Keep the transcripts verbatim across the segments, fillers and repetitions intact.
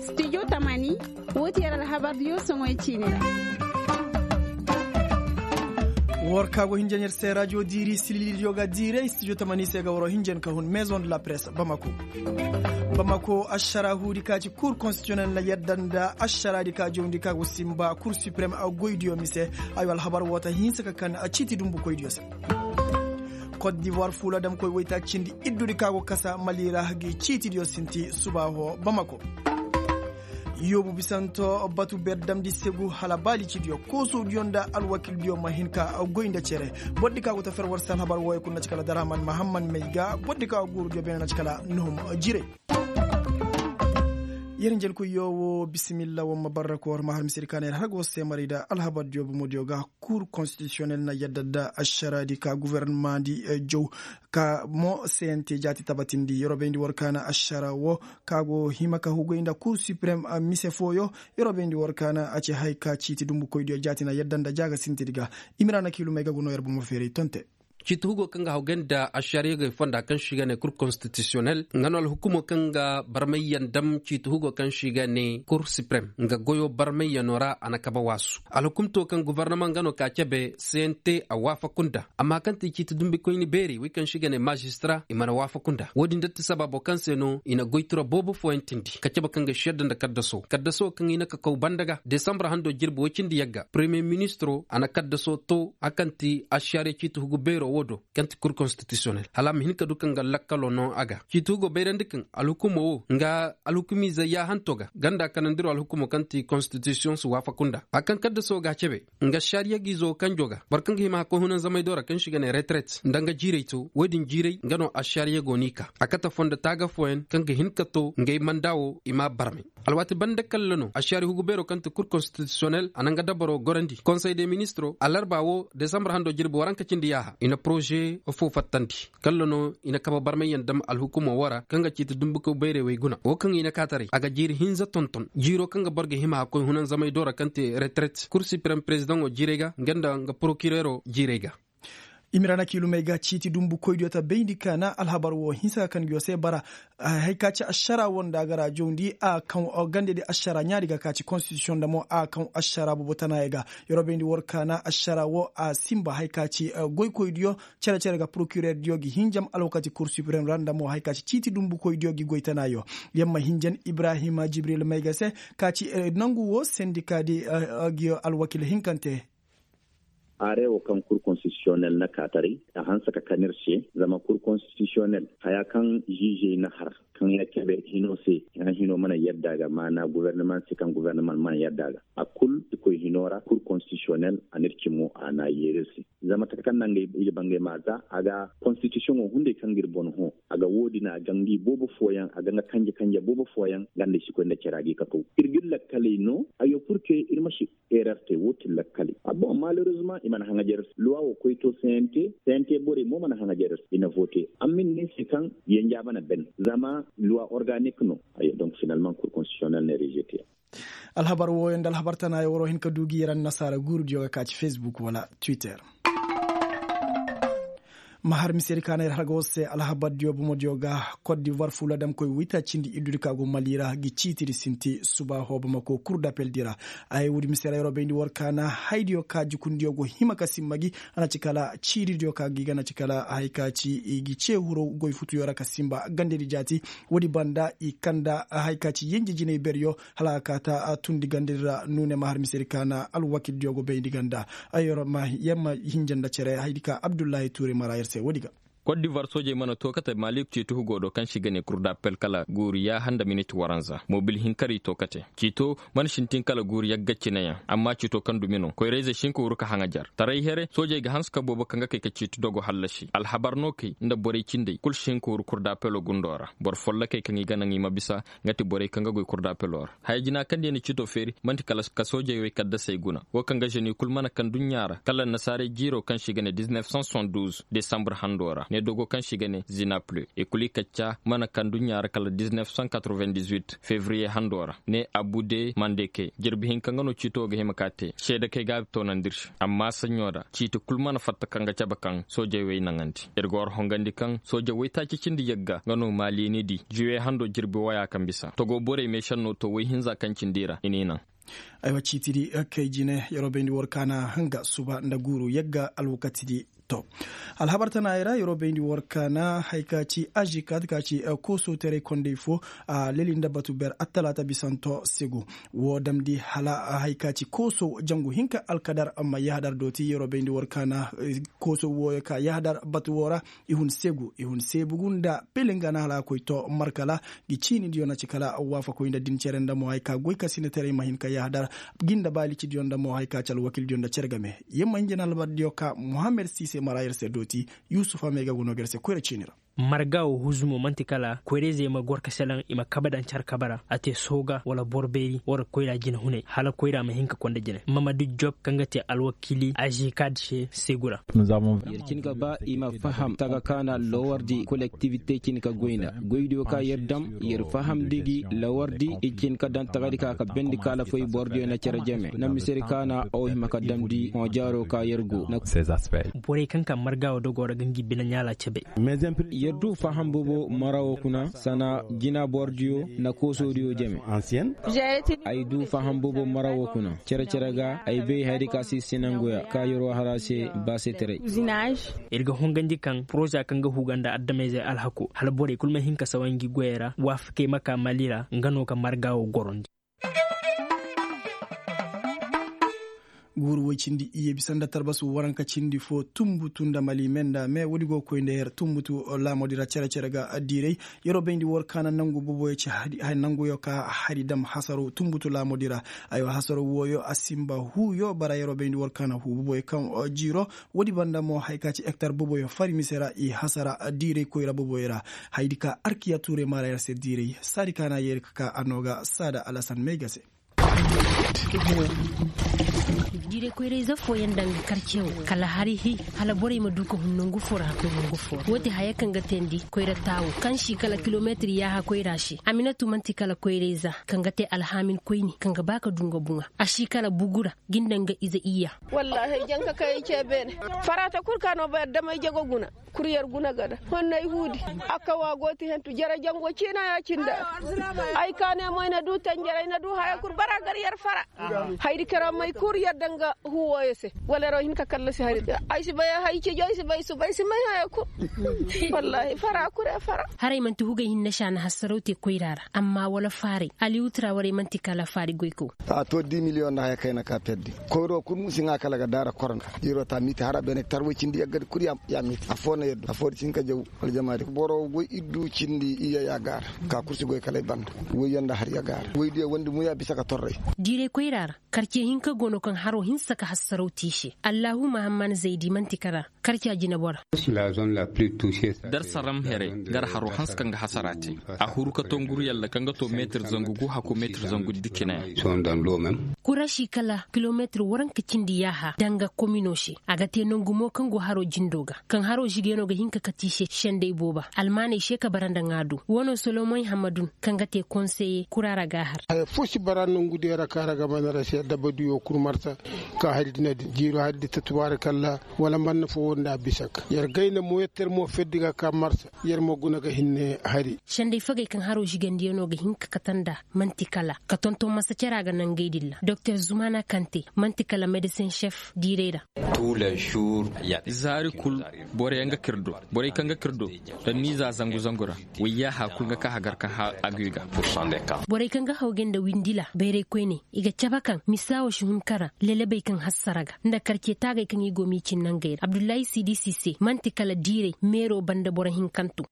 Studio tamani, woo ti yer alhabar diyo soŋoy ciini ra. War ka go hinjan yer se rajo diiri silili diyo ga diiray studio tamani se ga waro hinjan ka hun maison de la presse bamako. Bamako ašara huudi ka ci kur konstitiyonel na yadda nda ašara di ka jawndi ka go simba kur suprem a goy diyo mise. Ayo alhabar woo ta hinsa ka kan a ciiti dumbu koy diyo se. Kot divoir fuula damkoy woy ta cindi iddu di ka go kasa mali ra gi ciiti diyo sinti subaaho bamako. Yoobu bisanto batu ber damndi segu hala baalicidiyo koosodiyo nda alwakildiyo ma hin ka goy nda cere. Bordi ka go ta fer war se alhabar wooyo kul na ci kala darhaman mahamman may ga bordi ka go guurudiyo beene na ci kala nuhum jiray. Yer njelkoyyo woo bisimilla war ma barra ka war ma har misedi ka na yer har go se maray nda alhabardiyo bomodiyo ga. Kur konstitisiyonel na yadda nda ašaraadi ka gofornamaŋ di jaw ka mo sente jaati tabatindi yeroo bayndi war ka na ašara woo ka go hima ka hugay nda kur siprem mise fooyo. Yeroo bayndi war ka na a ci haya ka ciiti dumbukoydiyo jaati na yadda nda jaaga sintedi ga. Imira na kiilumey ga go noo yer bomo feeray tonte. Ciiti hugo kaŋ ga hawgay nda ašariyogey fonda kaŋ se i ga ne kur konstitisiyonel nga no alhukumo kaŋ ga barmayyaŋ dam ciiti hugo kaŋ se i ga ne kur siprem nga goyo barmayyaŋo ra a na kabe waasu. Alhukumto kaŋ gofornamaŋ nga no ka cabe sente a waafaku nda amma kaŋ ti ciiti dumbikoyni beeri wey kaŋ se i ga ne mazistara i mana waafaku nda wo-din da ti sabaabo kaŋ se no i na goy tira boobo fooyaŋ tindi ka cabe kaŋ ga si yadda nda kaddaso kaddaso kaŋ i na ka kaw banda ga desambur hando jirbi woy cindi yagga premiye ministiro a na kaddaso to a kaŋ ti ašariya ciiti hugu beero wo do kaŋ ti kur konstitisiyonel hala a ma hin ka du kaŋ ga lakkalo no a ga ciiti hugo bayrandi kaŋ alhukumo wo nga alhukumiize yaahanto ga ganda kanandiro alhukumo kaŋ ti konstitisiyoŋ si waafaku nda a kaŋ kaddaso ga a cabe nga ašariya giizo kanjo ga boro kaŋ ga hima hakkoy hunanzamay do ra kaŋ se i ga ne reteret nda nga jiiray to wo-din jiiray nga no ašariya go n'i ka a kate fondo taaga fooyaŋ kaŋ ga hin ka to ngey manda wo i m'a barmay. Alwaati banda kalla no ašari hugu beero kaŋ ti kur konstitisiyonel a na nga dabaro gorandi konsey de ministiro alarba wo desambur hando jirbi waranka cindi yaaha i na poroze foo fattandi. Kalla no i na kabe barmayyaŋ dam alhukumo wo ra kaŋ ga ciiti dumbukaw bayrey wey guna wo kaŋ i na kaataray a ga jiiri hinza tonton jiiro kaŋ ga boro ga hima hakkoy hunanzamay do ra kaŋ te reteret kur siprem perezidaŋo jiiray ga nga nda nga porokireero jiiray ga. Imira na kiilumey ga ciiti dumbukoydiyo ta bayndi ka na alhabar wo hinsa ka kan nguyo se bara. Hay ka ci ašara wo nda a ga ra jawndi a kaŋ gandedi ašara ɲaari ga ka ci konstitisiyoŋ nda mo a kaŋ ašara boobo tanaayey ga. Yeroo bayndi war ka na ašara wo a sinba hay ka ci goykoydiyo cere-cere ga porokireer diyo gi hinjam alwakati kur siprem ra nda mo hay ka ci ciiti dumbukoy diyo gi goy tanaayo. Yamma hinjan ibrahima jibril mayga se ka ci nangu wo sendika di gi alwakil hinkante. Arewo kaŋ kur konstitisiyonel na kaataray a hanse ka kan ir se zama kur konstitisiyonel haya kaŋ ziizey na har kaŋ ya cabe hino se ya hino mana yadda ga maana gofornamaŋ se kaŋ gofornamaŋ mana yadda ga a kul i koy hino ra kur konstitisiyonel a na ir cimo a na a yeeri ir se. Zama taka kaŋ na ngey i ga ba ngey ma za a ga konstitisiyoŋo hunday kaŋ ga ir boŋ hõ a ga woodin a ga ngi boobo fooyaŋ a ga nga kanje kanje boobo fooyaŋ nga nda i si koy nda care a ga i kakaw ir ga ir lakkaley no. Ayo purke ir ma si erer te woo ti lakkaley a boŋ malerezuma i mana haŋajer luwa wo koy to sente sente borey mo mana haŋajer i na vote. Amma ir ne se kaŋ yenjaaba na ben zama luwa organik no. Ayo donk finalmaŋ kur konstitisiyonel na rejete. Alhabar wooyo nda alhabar tanaayo waroo hin ka du gi yer annasaara guurudiyo ga ka ci fesbuk wala twitter. Ma har misedi ka na yer har ga war se alhabardiyo bomodiyo ga kot divoir fuula damkoy waytaacindi iddudi ka go mali ra gi ciitidi sinti subaaho bamako kur dapel di ra. Ay woodi mise ra yeroo bayndi war ka na haydiyo ka jukundiyo go hima ka simma gi a na ci kala ciiridiyo ka gi ga na ci kala hay ka ci i gi cee huro goy futuyo ra ka simba gandedi jaati. Woodi banda i kanda hay ka ci yenje jinay beryo hala a ka ta tundi gandedi ra nuune ma har misedi ka na alwakildiyo go bayndi ganda. Yer ma hinja nda cere haydi ka abdullahi tuure mara yer se woodi ga. Kot divoir soojey mana to kate malik ciiti hugo do kaŋ se i ga ne kurdapel kala guuri yaaha nda minit waranza mobil hinkari to kate ciito mana sintin kala guuri yagga cineyaŋ amma ciito kaŋ dumi no koyrayzey si hin ka wuru ka haŋajar taray here soojey ga hanse ka boobo kaŋ ga kay ka ciiti dogo hallasi alhabar no kay nda borey cindey kul si hin ka wuru kurdapelo gundo ra boro follokey kaŋ i ga naŋ i ma bisa nga ti borey kaŋ ga goy kurdapelo ra haya jina kaŋ diya na ciito feeri man'ti kala ka soojey wey kaddasey guna wo kaŋ ga ženi kul mana kaŋ duɲɲa ra kala annasaarey jiiro kaŋ se i ga ne diznef san soixante-douze desambur hando ra. ne dogo kaŋ se i ga ne zinaple i kulu i kacca mana kaŋ duɲɲa ra kala diznef san katorven dizuwit fevriye hando ra ne abu de mandeke jirbi hinka nga no ciito ga hima ka te seede kaŋ i ga a toonandi ir se amma saɲɲo ra ciiti kulu mana fatta kaŋ ga cabe kaŋ soojey wey naŋandi. Ir ga war hongandi kaŋ soojey waytaaci cindi yagga nga no maali ni di juwe hando jirbi waya kaŋ bisa togo borey meesenno to way hinza kaŋ cindi i ra i n'i naŋ. Aywa ciitidi kay jine yeroo bayndi war kaana hanga suba nda guuru yagga alwakatidi. To, alhabar tana ay ra yeroo bayndi war kaana hay ka ci ažikaat ka ci koosoo teray kondey fo a leli nda batu ber attalaata bisanto segu. Woo damndi hala hay ka ci koosoo jangu hinka alkadar amma yahadar dooti yeroo bayndi war kaana. Koosoo wooyo ka yahadar batu woo ra i hun seegu i hun seebugu nda pelenga na hala a koy to markala. Ngi ciini diyo na ci kala waafakoy nda din cere nda mo hay ka goy ka sinataray ma hin ka yahadar. Gi nda baali ci diyo nda mo hay ka ci alwakil diyo nda cere game. Yer ma hin jina albar diyo ka muhammad siise mara yer se dooti. Yuusufa meega go no ga yer se koyra ciini ra. Marga wo huzumo man'ti kala koyra-izey ma gor ka selaŋ i ma kabe daŋ care kabe ra a te sooga wala boro beeri wala koyra jinehunay hala koyra ma hin ka konda jine mamadu job kaŋ ga te alwakiili azikad se seegu ra. Yer cin ka ba i ma faham taga kaana lowardi kolektivite cin ka goy nda goydiyo ka yer dam yer fahamndi gi lowardi i cin ka daŋ tagadi ka ka bendi kaala foy bordiyo na care jeme na misedi kaana aw hima ka damndi hõ jaaro ka yer go na. Borey kaŋ ka marga wo dogo ra ga ngi bine ɲaala cebe. Yer du faham boobo mara wo kuna sana jina bordiyo na koosoodiyo jeme. Ay du faham boobo mara wo kuna cere-cere ga ay bay hayadi ka si sinanguya ka yeroo har a se baaseteray. Ir ga hongandi kaŋ poroza kaŋ ga huga nda adameyzey alhako hala borey kulu ma hin ka sawa ngi goyey ra waafakey ma ka mali ra nga no ka marga wo gorondi. Guuru woy cindi iyye bisa nda tarbasu waranka cindi fo tunbutu nda mali me nda me woodi go ga koy nda yer tunbutu laamoodi ra cere-cere ga diiray. Yeroo bayndi war kaana nangu boboyo ci hari nanguyo ka hari dam hasaro tunbutu laamoodi ra. Aywa hasaro wooyo a sinba huuyo bara yeroo bayndi war kaana huu boboyo kaŋ jiiro. Woodi banda mo hay ka ci hektar boboyo fari mise ra i hasara diiray koyra boboyo ra. Haydi ka arkiya tuuray maara yer se diiray saadi ka na yeeri ka ka a noo ga saada alasan may ga se. Diiray koyra-ize fooyaŋ daŋ ga karce wo kala hari hi hala borey ma du ka hun nangu fo ra ka koy nangu fo ra woo ti haya kaŋ ga teendi koyra taawo kaŋ si kala kilometir yaaha koyra se aminatu man'ti kala koyra-ize kaŋ ga te alhaamin koyni kaŋ ga ba ka du nga buŋa a si kala bugu ra. Ginda nga ize iyya. Wallaahi ay jaŋ ka kay ay ce beene. Faraata kul ka no ba yadda may jago guna. Kul yer guna gada honno ay huudi. Akka wa go ti hentu jere jango ciina ya cinda. Ay ka ne mo ay na du tanjere ay na du haya kul bara gar yer fara. Haydi kera may kul yer danga huwoyo se. Wala yer wo hin ka kallasi hari ay si bay hay cijo ay si bay suba ay si may haya kul. Wallaahi fara kul yer fara. Haray man'ti hugay hinne se a na hassaraw te koyra ra amma wala faaray. Aliyu tira waray man'ti kala faari goykaw. A to di miliyoŋ nda haya kayna ka perdi. Koyro kul musi ŋa kala ga daara korona. Iro ta miti hara bene tarway cindi yaggadi kul ya miti afo na yaddu afo di cinka jaw. Aljamaari boro goy iddu cindi iya ya gaara. Ka kursi goy kala ay banda. Woy yanda har ya gaara woy diya wandi muya bisa ka torray. Diiray koyra ra. Karce hinka go no kaŋ haro hinsa ka hassaraw te i se. Allahu mahamman zaydi man'ti kala. Karca jinebora. Dar saram here gar haro hanse kaŋ ga hasara te. A huru ka to nguru yalla kaŋ ga to meetir zangu gu hako meetir zangu dikina. Kuraši kala kilomeetir waranka cindi yaaha danga komino se. A ga te nangu mo kaŋ go haro jindo ga kaŋ haro žigeno ga hin ka kati i se sendey booba almaaney se ka bara nda ŋaadu. Wo no solomoy hammadun kaŋ ga te konseye kura ra ga a har. Haya fo si bara nangu diya ra kaŋ a ra ga mana ra se dabadiyo kul marsa. Ka hari di na din jiiro hari di ta tubaari kalla. Wala manna fo wo nda a bisa ka yer gayna mo yer ter mo ferdi ga ka marsa. Yer mo guna ga hinne hari. Sendey fagey kaŋ haro žigandiyano ga hin ka kate nda man'ti kala ka tonton masa cara ga nangey din ra doktor zumana kante man'ti kala medesin šef diirey ra. Zaari kul. Borey kaŋ ga kirdo borey kaŋ ga kirdo. Danni za zangu zangu ra. Wayya hakul ga ka hagar kaŋ ha aguy ga. Borey kaŋ ga hawgay nda windila bayray koyne i ga cabe kaŋ misa wo si hun kara lelebey kaŋ hassara ga nda karce taagay kaŋ i go m'i cin nangey ra abdullahi siidi si se man'ti kala diiray meero banda boro hinkanto.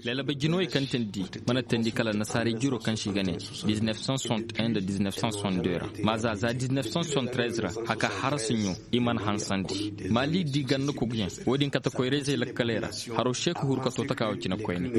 Lelebey jinowey kaŋ teendi mana teendi kala annasaarey jiro kaŋ se i ga ne diznef san soixante un nda diznef san soixante deux ra. Maaza za diznef san soixante treize ra haka harasiɲo i mana hansandi. Maali di ganda koguyaŋ wo- din. Kate koyra-izey lakkaley ra, haro se ka huru ka to taka wo cine koyne.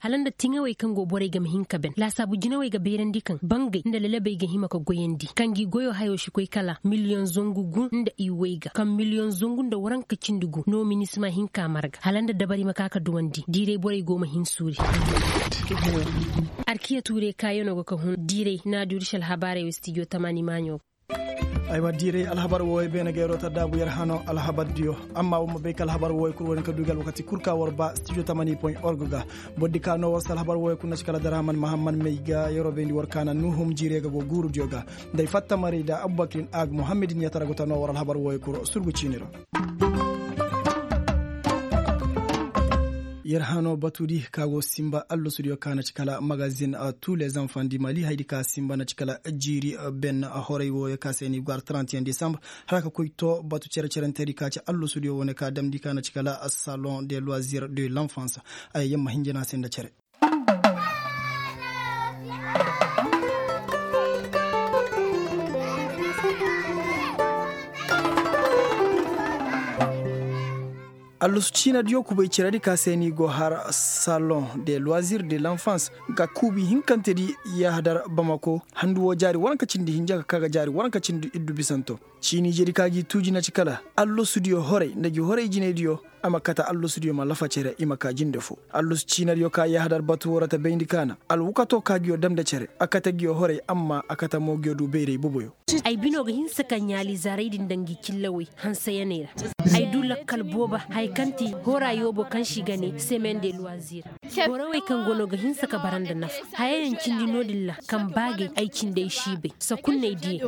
Hala nda tiŋawey kaŋ go borey game hin ka ben laasaabu jinawey ga bayrandi kaŋ bangey nda lalabey ga hima ka goyandi kaŋ gi goyo hayo si koy kala miliyoŋ zangu gu nda i way ga kaŋ miliyoŋ zangu nda waranka cindi gu no minisima hinka marga hala nda dabari ma ka ka duwandi diiray borey go ma hin suuri. Arkiya tuurey kaayano ga ka hun diiray naaduri si alhabaarey wo stijo tamani maaɲo. Aywa diiray alhabar wooyo beene ga yeroo ta daabu yer hano alhabar diyo. Amma war ma bay ka alhabar wooyo kul war hin ka du ga alwakati kul ka war ba stijo tamani point org ga. Boro di ka no war si alhabar wooyo kul na ci kala daraman mahamman may ga yeroo bayndi war kaana nuhum jiirey ga go guuru diyo ga. Nda ay fatta maray nda abubakirin aag muhammadin yatara go ta no war alhabar wooyo kul surgu ciini ra. Yer hano batu di ka go sinba allosudiyo ka na ci kala magazin, tous les enfants du mali haydi ka sinba na ci kala jiiri ben horay wooyo ka se ni gwar trente et un décembre, hala ka koy to batu cere-cerentedi ka ci allosudiyo wo ne ka damndi ka na ci kala salon de loisir de l'enfance. Ay yamma hinjana se nda cere. Allusu ciinadiyo kubay ceredi ka se ni go har salon de loisir de l'enfance ga kuubi hinkantedi yahadar bamako handu wo jaari waranka cindi hinja ka ka ga jaari waranka cindi iddu bisanto. Ciini jedi ka gi tuuji na ci kala allosudiyo horay nda gi horay jinaydiyo a ma kate allosudiyo ma lafa cere i ma ka jinde fo. Allosu ciinadiyo ka yahadar batu wo ra ta bayndi kaana alwakato ka giyo dam nda cere a kate giyo horay amma a kate mo giyo du bayray boboyo. Ay bino ga hinsa ka ɲaali zaray din nda ngi cillawey hansayaney ra. Ay du lakkal booba haya kaŋ ti hora yoobo kaŋ si ga ne semaine de loisir. Borowey kaŋ go no ga hinsa ka bara nda nafa hayayaŋ cindi no-din ra kaŋ baagay ay cindey si bay sakunney diye.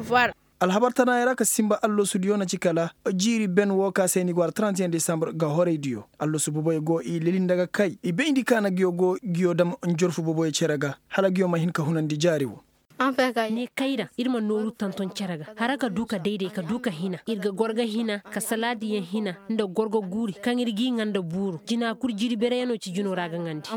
Alhabar tanaayey ra ka sinba allosudiyo na ci kala jiiri ben wo ka se ni go har trente et un décembre ga horaydiyo. Allosu boboyo go i leli nda ga kay i bayndi ka na giyo go giyo dam njorfu boboyo cere ga hala giyo ma hin ka hunandi jaari wo. Ne kayra ir ma nooru tonton cere ga hara ka du ka dayday ka du ka hina ir ga gorga hina ka salaadiyaŋ hina nda gorga guuri kaŋ ir g'i ŋa nda buuru jina kul jiiri bereyaŋ no ci jino ra ga ŋandi.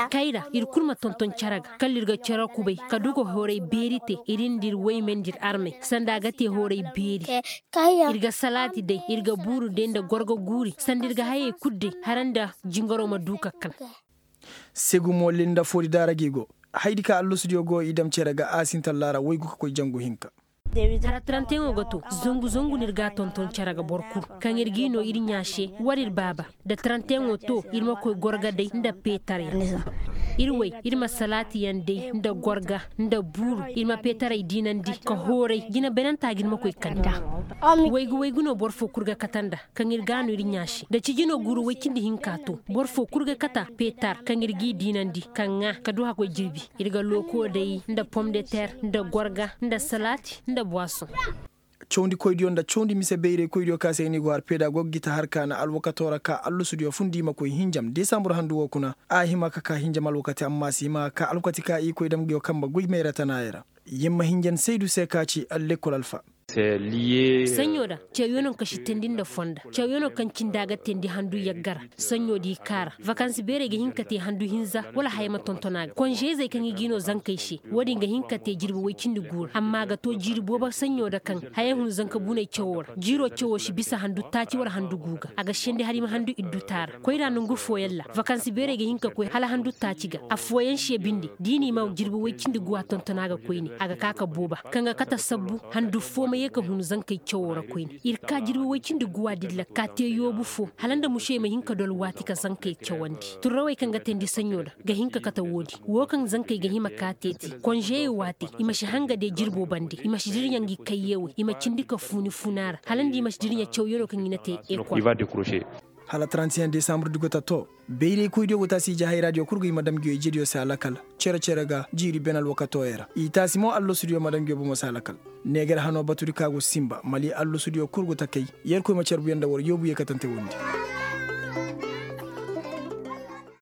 Kayra ir kul ma tonton cere ga kala ir ga cere kubay ka du ka horay beeri te ir nda ir wayme nda ir armey sanda a ga te horay beeri. Ir ga salaati day ir ga buuru day nda gorgo guuri sanda ir ga hayey kul day hara nda jingaro ma du ka kal. Segu mo lil nda foodi daara gi go haydi ka allosudiyo go i dam cere ga a sinta laara waygu ka koy jangu hinka. Hara taranteyaŋo ga to zangu zangu no ir ga a tonton cere ga boro kul kaŋ ir g'i no ir ɲaa se war ir baaba da taranteyaŋo to ir ma koy gorga day nda peetaryaŋ. Ir way ir ma salaatiyaŋ day nda gorga nda buuru ir ma peetaray diinandi ka hooray jina benantaa ga ir ma koy kande. Waygu waygu no boro foo kul ga kate nda kaŋ ir ga a no ir ɲaa se da cijino guuru way cindi hinka to boro foo kul ga kate peetar kaŋ ir g'i diinandi ka ŋaa ka du hakkoy jirbi. Ir ga looko day nda pom de ter nda gorga nda salaati nda buwasoŋ. Cawndikoydiyo nda cawndi mise bayraykoydiyo ka se ni go har peeda go ga gita har ka na alwakato ra ka allusudiyo fundi i ma koy hinjam desambur handu wo kuna a hima ka ka hinjam alwakati amma a si hima ka ka alwakati ka i koy dam nguyo kamba goy mayra tanaayey ra. Yamma hinjan saydu se ka ci allekol alfa. Saɲɲo da cawyaŋo kaŋ si teendi nda fonda cawyaŋo kaŋ cindi a ga teendi handu yagga ra. Saɲɲo da i kaara vakansi beerey ga hin ka te handu hinza wala haya ma tonton a ga konžeyzey kaŋ i g'i no zankey se. Wo-din ga hin ka te jirbi woy cindi guura amma a ga to jiiri boobo saɲɲo da kaŋ haya hun zanka buney cawo ra jiiro cawo si bisa handu taaci wala handu gu ga a ga sendi hala i ma handu iddu taara koyra nongu fooyaŋ ra vakansi beerey ga hin ka koy hala handu taaci ga. Affooyaŋ se binde da i n'i ma jirbi woy cindi guwa tonton a ga koyne a ga ka ka booba kaŋ ga kate sabbu handu foo ma ye ka hun zankey cawo ra koyne. Ir ka jirbi woy cindi guwa din ra ka te yoobu foo hala nda musey ma hin ka dol waati ka zankey cawandi turrawey kaŋ ga teendi saɲɲo ra ga hin ka kate wo-din wo kaŋ zankey ga hima ka teeti konžeyey waati i ma si hanga de jirbo bande i ma si dirɲa ngi kayyewey i ma cindi ka fuuni funa ra hala nda i ma si dirɲa cawyaŋo kaŋ i na te ekol. Hala trente et un desambur di go ta to bayraykoydiyo go ta si ije hayraadiyo kul ga i ma dam nguyo ijediyo se a lakal cere-cere ga jiiri ben alwakatoyey ra i taasi mo allosudiyo ma dam nguyo bomo se a lakal. Neegar hano batudi ka go sinba mali allosudiyo kul go ta kay yerkoy ma carbuyaŋ nda war yoobu yeekatante wondi.